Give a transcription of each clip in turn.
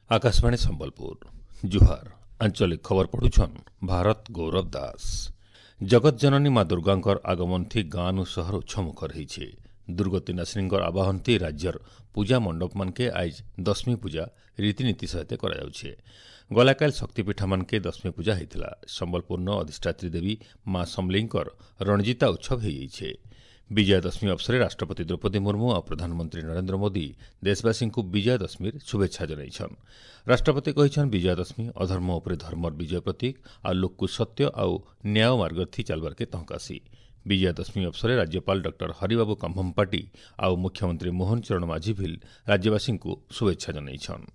ଆକାଶବାଣୀ ସମ୍ବଲପୁର, ଜୁହାର। ଆଞ୍ଚଳିକ ଖବର ପଢୁଛନ୍ ଭାରତ ଗୌରବ ଦାସ। ଜଗତ ଜନନୀ ମା ଦୁର୍ଗାଙ୍କର ଆଗମନଥି ଗାଁନୁ ସହର ଉତ୍ସମୁଖର ହେଇଛେ। ଦୁର୍ଗତିନାଶିନୀଙ୍କର ଆବାହନଥି ରାଜ୍ୟର ପୂଜା ମଣ୍ଡପମାନକେ ଆଇଜ୍ ଦଶମୀ ପୂଜା ରୀତିନୀତି ସହିତ କରାଯାଉଛେ। ଗଲାକାଲି ଶକ୍ତିପୀଠମାନକେ ଦଶମୀ ପୂଜା ହେଇଥିଲା। ସମ୍ବଲପୁରନ ଅଧିଷ୍ଠାତ୍ରୀ ଦେବୀ ମା ସମଲେଇଙ୍କର ରଣଜିତା ଉତ୍ସବ ହେଇଯାଇଛେ। ବିଜୟା ଦଶମୀ ଅବସରରେ ରାଷ୍ଟ୍ରପତି ଦ୍ରୌପଦୀ ମୁର୍ମୁ ଆଉ ପ୍ରଧାନମନ୍ତ୍ରୀ ନରେନ୍ଦ୍ର ମୋଦି ଦେଶବାସୀଙ୍କୁ ବିଜୟା ଦଶମୀର ଶୁଭେଚ୍ଛା ଜଣାଇଛନ୍। ରାଷ୍ଟ୍ରପତି କହିଛନ୍, ବିଜୟା ଦଶମୀ ଅଧର୍ମ ଉପରେ ଧର୍ମର ବିଜୟ ପ୍ରତୀକ ଆଉ ଲୋକକୁ ସତ୍ୟ ଆଉ ନ୍ୟାୟ ମାର୍ଗଥି ଚାଲବାର୍କେ ତହକାସି। ବିଜୟା ଦଶମୀ ଅବସରରେ ରାଜ୍ୟପାଳ ଡକ୍ଟର ହରିବାବୁ କମ୍ଭମପାଟି ଆଉ ମୁଖ୍ୟମନ୍ତ୍ରୀ ମୋହନ ଚରଣ ମାଝୀ ଭିଲ୍ ରାଜ୍ୟବାସୀଙ୍କୁ ଶୁଭେଚ୍ଛା ଜଣାଇଛନ୍।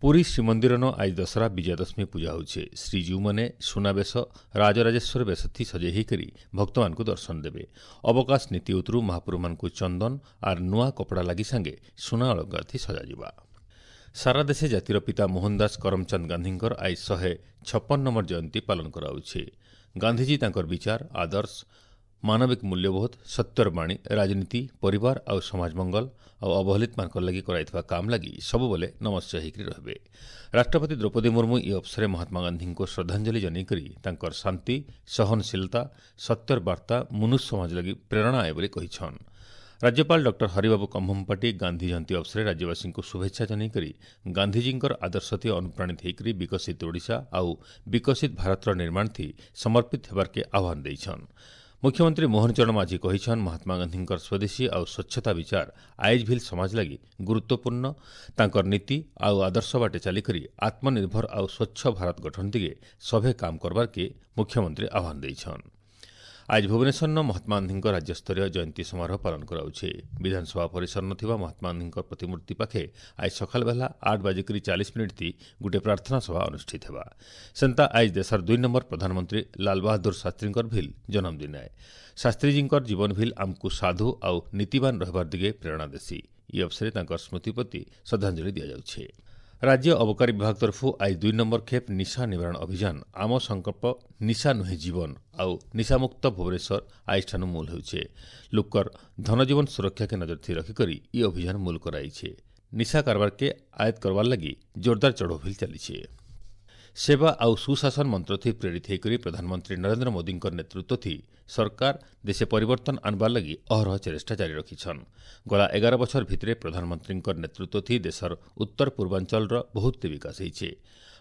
ପୁରୀ ଶ୍ରୀମନ୍ଦିରନ ଆଜି ଦଶହରା ବିଜୟାଦଶମୀ ପୂଜା ହେଉଛେ। ଶ୍ରୀଜୀଉମାନେ ସୁନାବେଶ, ରାଜରାଜେଶ୍ୱର ବେଶଥି ସଜେଇ ହେଇକରି ଭକ୍ତମାନଙ୍କୁ ଦର୍ଶନ ଦେବେ। ଅବକାଶ ନୀତି ଉତରୁ ମହାପ୍ରଭୁମାନଙ୍କୁ ଚନ୍ଦନ ଆର୍ ନୂଆ କପଡ଼ା ଲାଗି ସାଙ୍ଗେ ସୁନା ଅଳଙ୍କାରଥି ସଜାଯିବା। ସାରା ଦେଶେ ଜାତିର ପିତା ମୋହନ ଦାସ କରମଚାନ୍ଦ ଗାନ୍ଧୀଙ୍କର ଆଜି 156 ନମ୍ବର ଜୟନ୍ତୀ ପାଳନ କରାଯାଉଛି। ଗାନ୍ଧିଜୀ ତାଙ୍କର ବିଚାର, ଆଦର୍ଶ, ମାନବିକ ମୂଲ୍ୟବୋଧ, ସତ୍ୟର ବାଣୀ, ରାଜନୀତି, ପରିବାର ଆଉ ସମାଜ ମଙ୍ଗଳ ଆଉ ଅବହେଳିତମାନଙ୍କର ଲାଗି କରାଯାଇଥିବା କାମ ଲାଗି ସବୁବେଳେ ନମସ୍ୟ ହେଇକରି ରହିବେ। ରାଷ୍ଟ୍ରପତି ଦ୍ରୌପଦୀ ମୁର୍ମୁ ଏହି ଅବସରରେ ମହାତ୍ମା ଗାନ୍ଧୀଙ୍କୁ ଶ୍ରଦ୍ଧାଞ୍ଜଳି ଜଣାଇକରି ତାଙ୍କର ଶାନ୍ତି, ସହନଶୀଳତା, ସତ୍ୟର ବାର୍ତ୍ତା ମନୁଷ୍ୟ ସମାଜ ଲାଗି ପ୍ରେରଣା ଆଏ ବୋଲି କହିଛନ୍। ରାଜ୍ୟପାଳ ଡକ୍ଟର ହରିବାବୁ କମ୍ଭମପାଟି ଗାନ୍ଧୀ ଜୟନ୍ତୀ ଅବସରରେ ରାଜ୍ୟବାସୀଙ୍କୁ ଶୁଭେଚ୍ଛା ଜଣାଇକରି ଗାନ୍ଧିଜୀଙ୍କର ଆଦର୍ଶଥି ଅନୁପ୍ରାଣିତ ହୋଇକରି ବିକଶିତ ଓଡ଼ିଶା ଆଉ ବିକଶିତ ଭାରତର ନିର୍ମାଣଥି ସମର୍ପିତ ହେବାର୍କେ ଆହ୍ୱାନ ଦେଇଛନ୍। ମୁଖ୍ୟମନ୍ତ୍ରୀ ମୋହନ ଚରଣ ମାଝୀ କହିଛନ୍, ମହାତ୍ମା ଗାନ୍ଧୀଙ୍କର ସ୍ୱଦେଶୀ ଆଉ ସ୍ୱଚ୍ଛତା ବିଚାର ଆଇଜ୍ ଭିଲ୍ ସମାଜ ଲାଗି ଗୁରୁତ୍ୱପୂର୍ଣ୍ଣ। ତାଙ୍କର ନୀତି ଆଉ ଆଦର୍ଶ ବାଟେ ଚାଲିକରି ଆତ୍ମନିର୍ଭର ଆଉ ସ୍ୱଚ୍ଛ ଭାରତ ଗଠନ ଦିଗେ ସଭେ କାମ କରବାର୍କେ ମୁଖ୍ୟମନ୍ତ୍ରୀ ଆହ୍ୱାନ ଦେଇଛନ୍। ଆଜି ଭୁବନେଶ୍ୱରନ ମହାତ୍ମା ଗାନ୍ଧୀଙ୍କ ରାଜ୍ୟସ୍ତରୀୟ ଜୟନ୍ତୀ ସମାରୋହ ପାଳନ କରାଯାଉଛି। ବିଧାନସଭା ପରିସର ଥିବା ମହାତ୍ମା ଗାନ୍ଧୀଙ୍କ ପ୍ରତିମୂର୍ତ୍ତି ପାଖେ ଆଜି ସକାଳ ବେଲା 8:40 ଗୋଟିଏ ପ୍ରାର୍ଥନା ସଭା ଅନୁଷ୍ଠିତ ହେବା। ସେନ୍ତା ଆଜି ଦେଶର 2 ନମ୍ବର ପ୍ରଧାନମନ୍ତ୍ରୀ ଲାଲବାହାଦୁର ଶାସ୍ତ୍ରୀଙ୍କର ଭିଲ୍ ଜନ୍ମଦିନ ଆଏ। ଶାସ୍ତ୍ରୀଜୀଙ୍କର ଜୀବନ ଭିଲ୍ ଆମକୁ ସାଧୁ ଆଉ ନୀତିବାନ ରହିବାର ଦିଗେ ପ୍ରେରଣା ଦେସି। ଇ ଅବସରରେ ତାଙ୍କର ସ୍ମୃତି ପ୍ରତି ଶ୍ରଦ୍ଧାଞ୍ଜଳି ଦିଆଯାଉଛି। ରାଜ୍ୟ ଅବକାରୀ ବିଭାଗ ତରଫରୁ ଆଜି 2 ନମ୍ବର ଖେପ୍ ନିଶା ନିବାରଣ ଅଭିଯାନ ଆମ ସଂକଳ୍ପ ନିଶା ନୁହେଁ ଜୀବନ ଆଉ ନିଶାମୁକ୍ତ ଭୁବନେଶ୍ୱର ଆଜିଠାନୁ ମୂଲ ହେଉଛେ। ଲୋକର ଧନଜୀବନ ସୁରକ୍ଷାକେ ନଜର ଥି ରଖିକରି ଇ ଅଭିଯାନ ମୂଲ କରାଇଛେ। ନିଶା କାରବାରକେ ଆୟତ କରବାର ଲାଗି ଜୋରଦାର ଚଢ଼ଉ ଭିଲ୍ ଚାଲିଛେ। ସେବା ଆଉ ସୁଶାସନ ମନ୍ତ୍ରଥି ପ୍ରେରିତ ହୋଇକରି ପ୍ରଧାନମନ୍ତ୍ରୀ ନରେନ୍ଦ୍ର ମୋଦିଙ୍କ ନେତୃତ୍ୱଥି ସରକାର ଦେଶେ ପରିବର୍ତ୍ତନ ଆଣବାର ଲାଗି ଅହରହ ଚେଷ୍ଟା ଜାରି ରଖିଛନ୍। ଗଲା 11 ବଛର ଭିତରେ ପ୍ରଧାନମନ୍ତ୍ରୀଙ୍କ ନେତୃତ୍ୱଥି ଦେଶର ଉତ୍ତର ପୂର୍ବାଞ୍ଚଳର ବହୁତ ବିକାଶ ହେଇଛେ।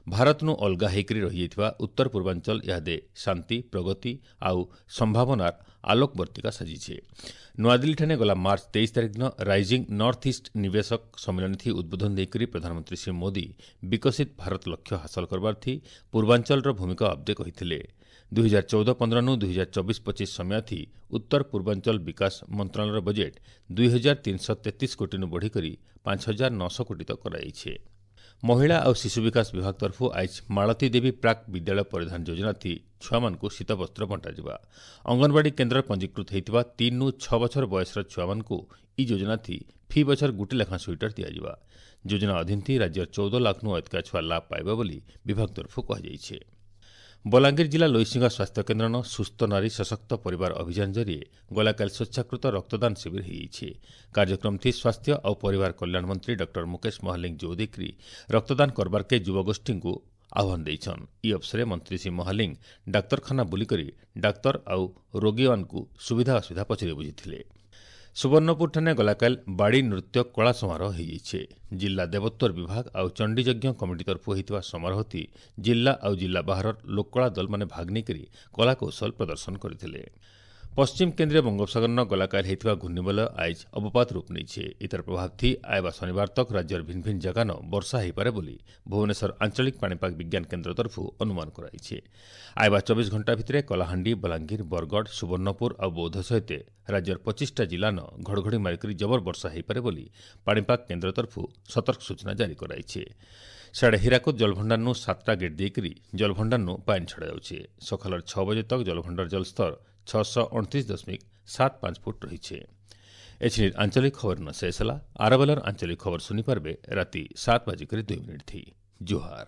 ଭାରତନୁ ଅଲଗା ହେଇକରି ରହିଯାଇଥିବା ଉତ୍ତର ପୂର୍ବାଞ୍ଚଳ ଇହାଦେ ଶାନ୍ତି, ପ୍ରଗତି ଆଉ ସମ୍ଭାବନାର ଆଲୋକବର୍ତ୍ତିକା ସାଜିছে। ନୂଆଦିଲ୍ଲୀଠାରେ ଗଲା ମାର୍ଚ୍ଚ 23 ତାରିଖ ଦିନ ରାଇଜିଂ ନର୍ଥ ଇଷ୍ଟ ନିବେଶକ ସମ୍ମିଳନୀଥି ଉଦ୍ବୋଧନ ଦେଇକରି ପ୍ରଧାନମନ୍ତ୍ରୀ ଶ୍ରୀ ମୋଦି ବିକଶିତ ଭାରତ ଲକ୍ଷ୍ୟ ହାସଲ କରବାର୍ଥି ପୂର୍ବାଞ୍ଚଳର ଭୂମିକା ଅବ୍ଦେ କହିଥିଲେ। 2014-15ନୁ 2024-25 ସମୟାଥି ଉତ୍ତର ପୂର୍ବାଞ୍ଚଳ ବିକାଶ ମନ୍ତ୍ରଣାଳୟର ବଜେଟ୍ 2333 କୋଟିନୁ ବଢ଼ିକରି 5900 କୋଟି ତକ କରାଯାଇଛି। ମହିଳା ଆଉ ଶିଶୁ ବିକାଶ ବିଭାଗ ତରଫରୁ ଆଇଜ୍ ମାଳତୀ ଦେବୀ ପ୍ରାକ୍ ବିଦ୍ୟାଳୟ ପରିଧାନ ଯୋଜନାଥି ଛୁଆମାନଙ୍କୁ ଶୀତବସ୍ତ୍ର ବଣ୍ଟାଯିବା। ଅଙ୍ଗନବାଡ଼ି କେନ୍ଦ୍ରରେ ପଞ୍ଜୀକୃତ ହୋଇଥିବା 3ରୁ 6 ବଛର ବୟସର ଛୁଆମାନଙ୍କୁ ଇ ଯୋଜନାଥି ଫି ବଛର ଗୋଟି ଲେଖାଁ ସୁଇଟର ଦିଆଯିବା। ଯୋଜନା ଅଧୀନଥି ରାଜ୍ୟର 14 ଲାଖନୁ ଅଧିକା ଛୁଆ ଲାଭ ପାଇବେ ବୋଲି ବିଭାଗ ତରଫରୁ କୁହାଯାଇଛି। ବଲାଙ୍ଗୀର ଜିଲ୍ଲା ଲୋଇସିଂହା ସ୍ୱାସ୍ଥ୍ୟକେନ୍ଦ୍ରନ ସୁସ୍ଥ ନାରୀ ସଶକ୍ତ ପରିବାର ଅଭିଯାନ ଜରିଏ ଗଲାକାଲି ସ୍ୱେଚ୍ଛାକୃତ ରକ୍ତଦାନ ଶିବିର ହୋଇଯାଇଛି। କାର୍ଯ୍ୟକ୍ରମଥି ସ୍ୱାସ୍ଥ୍ୟ ଆଉ ପରିବାର କଲ୍ୟାଣ ମନ୍ତ୍ରୀ ଡକ୍ଟର ମୁକେଶ ମହାଲିଙ୍ଗ ଯୋଗ ଦେଇକରି ରକ୍ତଦାନ କରବାର୍କେ ଯୁବଗୋଷ୍ଠୀଙ୍କୁ ଆହ୍ୱାନ ଦେଇଛନ୍। ଇ ଅବସରରେ ମନ୍ତ୍ରୀ ଶ୍ରୀ ମହାଲିଙ୍ଗ ଡାକ୍ତରଖାନା ବୁଲିକରି ଡାକ୍ତର ଆଉ ରୋଗୀମାନଙ୍କୁ ସୁବିଧା ଅସୁବିଧା ପଚାରି ବୁଝିଥିଲେ। ସୁବର୍ଣ୍ଣପୁରଠାରେ ଗଲାକାଲି ବାଡ଼ି ନୃତ୍ୟ କଳା ସମାରୋହ ହୋଇଯାଇଛି। ଜିଲ୍ଲା ଦେବୋତ୍ତର ବିଭାଗ ଆଉ ଚଣ୍ଡୀଯଜ୍ଞ କମିଟି ତରଫରୁ ହୋଇଥିବା ସମାରୋହଟି ଜିଲ୍ଲା ଆଉ ଜିଲ୍ଲା ବାହାରର ଲୋକକଳା ଦଳମାନେ ଭାଗ ନେଇକରି କଳାକୌଶଳ ପ୍ରଦର୍ଶନ କରିଥିଲେ। ପଶ୍ଚିମ କେନ୍ଦ୍ରୀୟ ବଙ୍ଗୋପସାଗରନ ଗଲାକାଲି ହୋଇଥିବା ଘୂର୍ଣ୍ଣିବଳୟ ଆଇଜ୍ ଅବପାତ ରୂପ ନେଇছে। ଇତାର ପ୍ରଭାବଥି ଆଇବା ଶନିବାର ତକ ରାଜ୍ୟର ଭିନ୍ନ ଭିନ୍ନ ଜାଗାନ ବର୍ଷା ହୋଇପାରେ ବୋଲି ଭୁବନେଶ୍ୱର ଆଞ୍ଚଳିକ ପାଣିପାଗ ବିଜ୍ଞାନ କେନ୍ଦ୍ର ତରଫରୁ ଅନୁମାନ କରାଯାଇଛି। ଆଇବା 24 ଘଣ୍ଟା ଭିତରେ କଳାହାଣ୍ଡି, ବଲାଙ୍ଗୀର, ବରଗଡ଼, ସୁବର୍ଣ୍ଣପୁର ଆଉ ବୌଦ୍ଧ ସହିତ ରାଜ୍ୟର 25ଟା ଜିଲ୍ଲାନ ଘଡ଼ଘଡ଼ି ମାରିକରି ଜବର ବର୍ଷା ହୋଇପାରେ ବୋଲି ପାଣିପାଗ କେନ୍ଦ୍ର ତରଫରୁ ସତର୍କ ସୂଚନା ଜାରି କରାଯାଇଛି। ସିଆଡ଼େ ହୀରାକୁଦ ଜଳଭଣ୍ଡାରନୁ 7ଟା ଗେଟ୍ ଦେଇକରି ଜଳଭଣ୍ଡାରନୁ ପାଣି ଛଡ଼ାଯାଉଛି। ସକାଳର 6 ବଜେ ତକ ଜଳଭଣ୍ଡାର ଜଳସ୍ତର 629.75 ଫୁଟ ରହିছে। ଏଥିରେ ଆଞ୍ଚଳିକ ଖବର ନ ଶେଷ ହେଲା। ଆରବେଲର ଆଞ୍ଚଳିକ ଖବର ଶୁଣିପାରିବେ ରାତି 7:02 ଥି। ଜୁହାର।